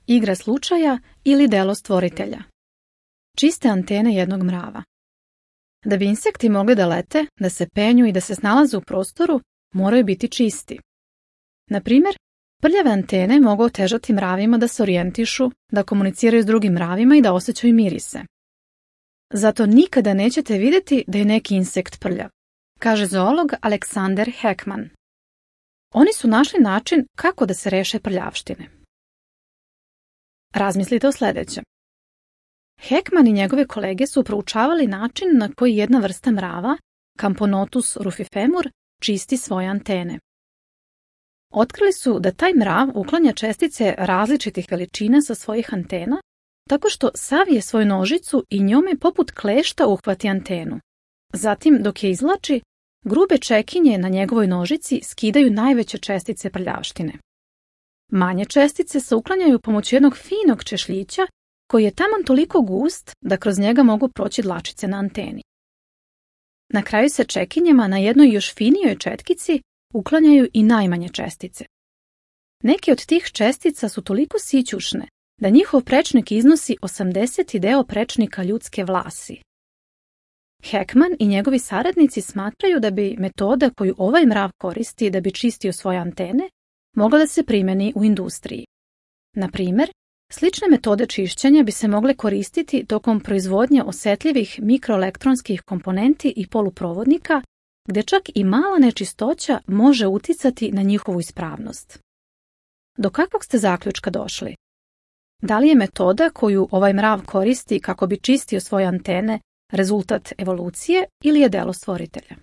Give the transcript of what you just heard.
igra slučaja ili delo stvoritelja. Čiste antene jednog mrava. Da bi insekti mogli da lete, da se penju i da se snalaze u prostoru, moraju biti čisti. Na primjer, prljave antene mogu otežati mravima da se orijentišu, da komuniciraju s drugim mravima i da osjećaju mirise. Zato nikada nećete vidjeti da je neki insekt prljav, kaže zoolog Alexander Heckman. Oni su našli način kako da se reše prljavštine. Razmislite o sljedećem. Heckman i njegove kolege su proučavali način na koji jedna vrsta mrava, Camponotus rufifemur, čisti svoje antene. Otkrili su da taj mrav uklanja čestice različitih veličina sa svojih antena, tako što savije svoju nožicu i njome poput klešta uhvati antenu. Zatim, dok je izvlači, grube čekinje na njegovoj nožici skidaju najveće čestice prljavštine. Manje čestice se uklanjaju pomoću jednog finog češljića koji je taman toliko gust da kroz njega mogu proći dlačice na anteni. Na kraju se čekinjama na jednoj još finijoj četkici uklanjaju i najmanje čestice. Neke od tih čestica su toliko sićušne da njihov prečnik iznosi 80 deo prečnika ljudske vlasi. Heckman i njegovi saradnici smatraju da bi metoda koju ovaj mrav koristi da bi čistio svoje antene mogla da se primjeni u industriji. Na primjer, slične metode čišćenja bi se mogle koristiti tokom proizvodnje osjetljivih mikroelektronskih komponenti i poluprovodnika, gdje čak i mala nečistoća može uticati na njihovu ispravnost. Do kakvog ste zaključka došli? Da li je metoda koju ovaj mrav koristi kako bi čistio svoje antene rezultat evolucije ili je delo stvoritelja?